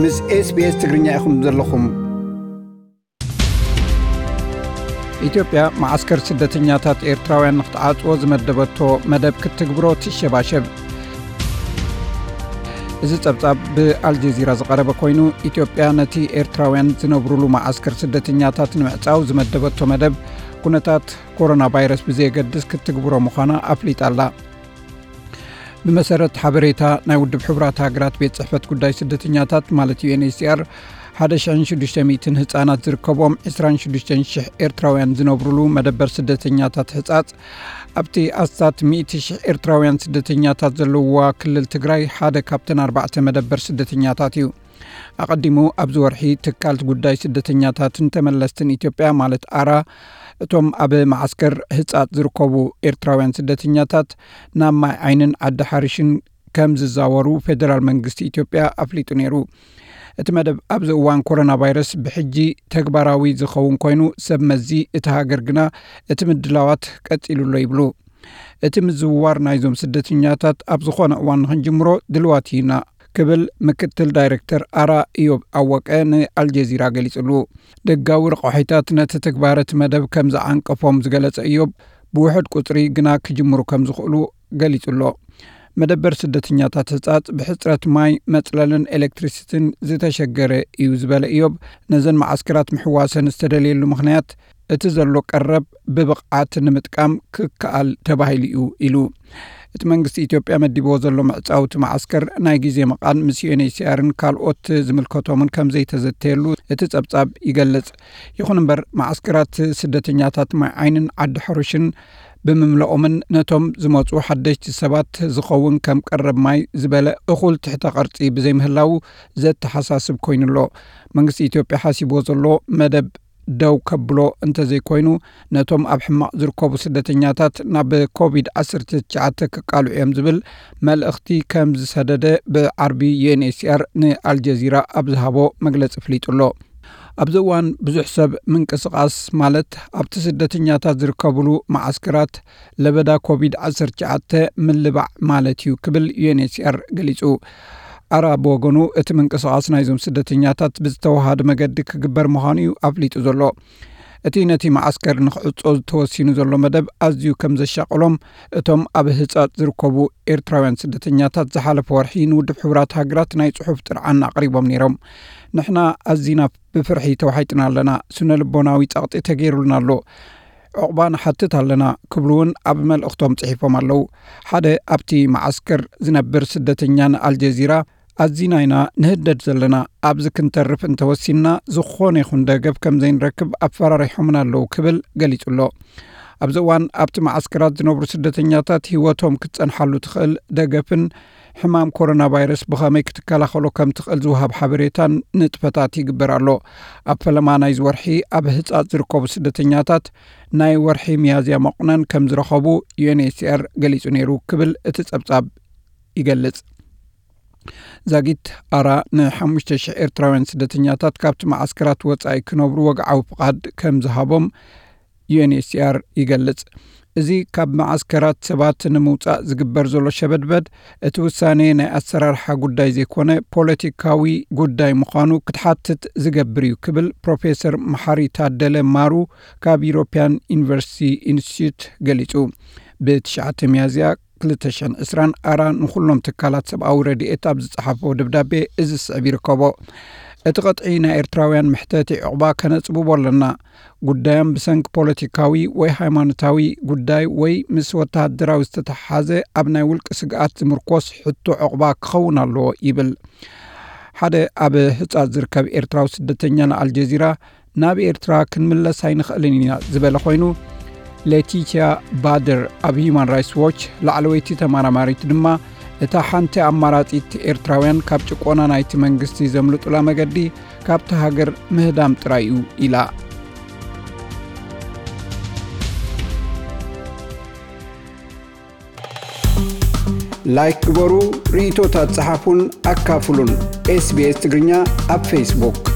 ምስ SBS ትግርኛ ኢኹም ዘለኹም። ኢትዮጵያ መዓስከር ስደተኛታት ኤርትራውያን ንክትዓጽዎ ዝመደበቶ መደብ ክትግብሮ ትሸባሸብ። እዚ ጸብጻብ ብኣልጀዚራ ዝቐረበ ኮይኑ፣ ኢትዮጵያ ነቲ ኤርትራውያን ዝነብሩሉ መዓስከር ስደተኛታት ንምዕጻው ዝመደበቶ መደብ፣ ኩነታት ኮሮና ቫይረስ ብዘየገድስ ክትግብሮ ምዃና ኣፍሊጣ ኣላ። ብመሰረት ሓበሬታ ናይ ውድብ ሕቡራት ሃገራት ቤት ጽሕፈት ጉዳይ ስደተኛታት፣ ማለት ዩ ኤን ኤች ሲ ኣር፣ ሓደ ሽሕን ሽዱሽተ ሚእትን ህጻናት ዝርከቦም ዕስራን ሽዱሽተን ሽሕ ኤርትራውያን ዝነብሩሉ መደበር ስደተኛታት ሕጻጽ፣ ኣብቲ ኣስታት ሚእቲ ሽሕ ኤርትራውያን ስደተኛታት ዘለውዋ ክልል ትግራይ ሓደ ካብተን ኣርባዕተ መደበር ስደተኛታት እዩ። ኣቐዲሙ ኣብዚ ወርሒ ትካል ጉዳይ ስደተኛታትን ተመለስትን ኢትዮጵያ፣ ማለት ኣራ፣ እቶም ኣብ መዓስከር ህጻጽ ዝርከቡ ኤርትራውያን ስደተኛታት ናብ ማይ ዓይንን ዓዲ ሓሪሽን ከም ዝዛወሩ ፌደራል መንግስቲ ኢትዮጵያ ኣፍሊጡ ነይሩ። እቲ መደብ ኣብዚ እዋን ኮሮና ቫይረስ ብሕጂ ተግባራዊ ዝኸውን ኮይኑ፣ ሰብ መዚ እቲ ሃገር ግና እቲ ምድላዋት ቀጺሉ ኣሎ ይብሉ። እቲ ምዝውዋር ናይዞም ስደተኛታት ኣብ ዝኾነ እዋን ንኽንጅምሮ ድልዋት ኢና ክብል ምክትል ዳይሬክተር ኣራ እዮብ ኣወቀ ንኣልጀዚራ ገሊጹሉ። ደጋዊ ረቋሒታት ነቲ ተግባር እቲ መደብ ከም ዝዓንቀፎም ዝገለጸ እዮብ፣ ብውሑድ ቁጽሪ ግና ክጅምሩ ከም ዝኽእሉ ገሊጹ ኣሎ። መደበር ስደተኛታት ህጻጽ ብሕጽረት ማይ፣ መጽለልን ኤሌክትሪሲቲን ዝተሸገረ እዩ ዝበለ እዮብ፣ ነዘን መዓስከራት ምሕዋሰን ዝተደልየሉ ምኽንያት እቲ ዘሎ ቀረብ ብብቕዓት ንምጥቃም ክከኣል ተባሂሉ እዩ ኢሉ። እቲ መንግስቲ ኢትዮጵያ መዲብዎ ዘሎ ምዕጻው እቲ መዓስከር ናይ ግዜ መቓን ምስ ዩ ኤን ኤች ሲ ኣርን ካልኦት ዝምልከቶምን ከም ዘይተዘተየሉ እቲ ጸብጻብ ይገልጽ። ይኹን እምበር፣ መዓስከራት ስደተኛታት ማይ ዓይንን ዓዲ ሓሩሽን ብምምላኦምን ነቶም ዝመጹ ሓደሽቲ ሰባት ዝኸውን ከም ቀረብ ማይ ዝበለ እኹል ትሕተ ቅርጺ ብዘይምህላዉ ዘተሓሳስብ ኮይኑ ኣሎ። መንግስቲ ኢትዮጵያ ሓሲብዎ ዘሎ መደብ ደው ከብሎ እንተዘይኮይኑ፣ ነቶም ኣብ ሕማቕ ዝርከቡ ስደተኛታት ናብ ኮቪድ ዓሰርተ ትሽዓተ ክቃልዑ እዮም ዝብል መልእኽቲ ከም ዝሰደደ ብዓርቢ ዩ ኤን ኤች ሲ ኣር ንኣልጀዚራ ኣብ ዝሃቦ መግለጺ ኣፍሊጡ ኣሎ። ኣብዚ እዋን ብዙሕ ሰብ ምንቅስቓስ፣ ማለት ኣብቲ ስደተኛታት ዝርከብሉ መዓስከራት ለበዳ ኮቪድ ዓሰርተ ትሽዓተ ምልባዕ ማለት እዩ ክብል ዩ ኤን ኤች ሲ ኣር ገሊጹ። ኣራ ብወገኑ፣ እቲ ምንቅስቓስ ናይዞም ስደተኛታት ብዝተወሃደ መገዲ ክግበር ምዃኑ እዩ ኣፍሊጡ ዘሎ። እቲ ነቲ መዓስከር ንክዕጾ ተወሲኑ ዘሎ መደብ ኣዝዩ ከም ዘሻቐሎም እቶም ኣብ ህጻጽ ዝርከቡ ኤርትራውያን ስደተኛታት ዝሓለፈ ወርሒ ንውድብ ሕቡራት ሃገራት ናይ ጽሑፍ ጥርዓን ኣቕሪቦም ነይሮም። "ንሕና ኣዚና ብፍርሒ ተዋሒጥና ኣለና፣ ስነ ልቦናዊ ጸቕጢ ተገይሩልና ኣሎ፣ ዕቑባ ንሓትት ኣለና" ክብሉ እውን ኣብ መልእኽቶም ጽሒፎም ኣለዉ። ሓደ ኣብቲ መዓስከር ዝነብር ስደተኛ ንኣልጀዚራ፣ "ኣዚና ኢና ንህደድ ዘለና፣ ኣብዚ ክንተርፍ እንተወሲንና ዝኾነ ይኹን ደገፍ ከም ዘይንረክብ ኣፈራሪሖምና ኣለዉ" ክብል ገሊጹ ኣሎ። ኣብዚ እዋን ኣብቲ መዓስከራት ዝነብሩ ስደተኛታት ህይወቶም ክትጸንሓሉ ትኽእል ደገፍን ሕማም ኮሮና ቫይረስ ብኸመይ ክትከላኸሎ ከም ትኽእል ዝወሃብ ሓበሬታን ንጥፈታት ይግበር ኣሎ። ኣብ ፈለማ ናይዚ ወርሒ ኣብ ህጻጽ ዝርከቡ ስደተኛታት ናይ ወርሒ ሚያዝያ መቑነን ከም ዝረኸቡ ዩ ኤን ኤች ሲ ኣር ገሊጹ ነይሩ ክብል እቲ ጸብጻብ ይገልጽ። ዛጊት ኣራ ንሓሙሽተ ሽሕ ኤርትራውያን ስደተኛታት ካብቲ መዓስከራት ወጻኢ ክነብሩ ወግዓዊ ፍቓድ ከም ዝሃቦም ዩ ኤን ኤች ሲ ኣር ይገልጽ። እዚ ካብ መዓስከራት ሰባት ንምውጻእ ዝግበር ዘሎ ሸበድበድ፣ እቲ ውሳኔ ናይ ኣሰራርሓ ጉዳይ ዘይኮነ፣ ፖለቲካዊ ጉዳይ ምዃኑ ክትሓትት ዝገብር እዩ ክብል ፕሮፌሰር መሓሪ ታደለ ማሩ ካብ ዩሮፒያን ዩኒቨርሲቲ ኢንስቲትዩት ገሊጹ። ብትሽዓተ ሚያዝያ ክልተ ሽሕን ዕስራን ኣራ ንኹሎም ትካላት ሰብኣዊ ረድኤት ኣብ ዝጸሓፎ ደብዳቤ እዚ ስዕብ ይርከቦ። "እቲ ቅጥዒ ናይ ኤርትራውያን መሕተቲ ዕቑባ ከነጽብቦ ኣለና። ጉዳዮም ብሰንኪ ፖለቲካዊ ወይ ሃይማኖታዊ ጉዳይ ወይ ምስ ወተሃደራዊ ዝተተሓሓዘ ኣብ ናይ ውልቂ ስግኣት ዝምርኮስ ሕቶ ዕቑባ ክኸውን ኣለዎ" ይብል። ሓደ ኣብ ህጻጽ ዝርከብ ኤርትራዊ ስደተኛ ንኣልጀዚራ፣ "ናብ ኤርትራ ክንምለስ ኣይንኽእልን ኢና" ዝበለ ኮይኑ፣ ሌቲቲያ ባደር ኣብ ሂዩማን ራይትስ ዎች ላዕለወይቲ ተመራማሪት ድማ፣ "እታ ሓንቲ ኣማራጺት ኤርትራውያን ካብ ጭቆና ናይቲ መንግስቲ ዘምልጡላ መገዲ ካብታ ሃገር ምህዳም ጥራይ እዩ" ኢላ። ላይክ ግበሩ፣ ርእይቶታት ጸሓፉን ኣካፍሉን። ኤስ ቢ ኤስ ትግርኛ ኣብ ፌስቡክ።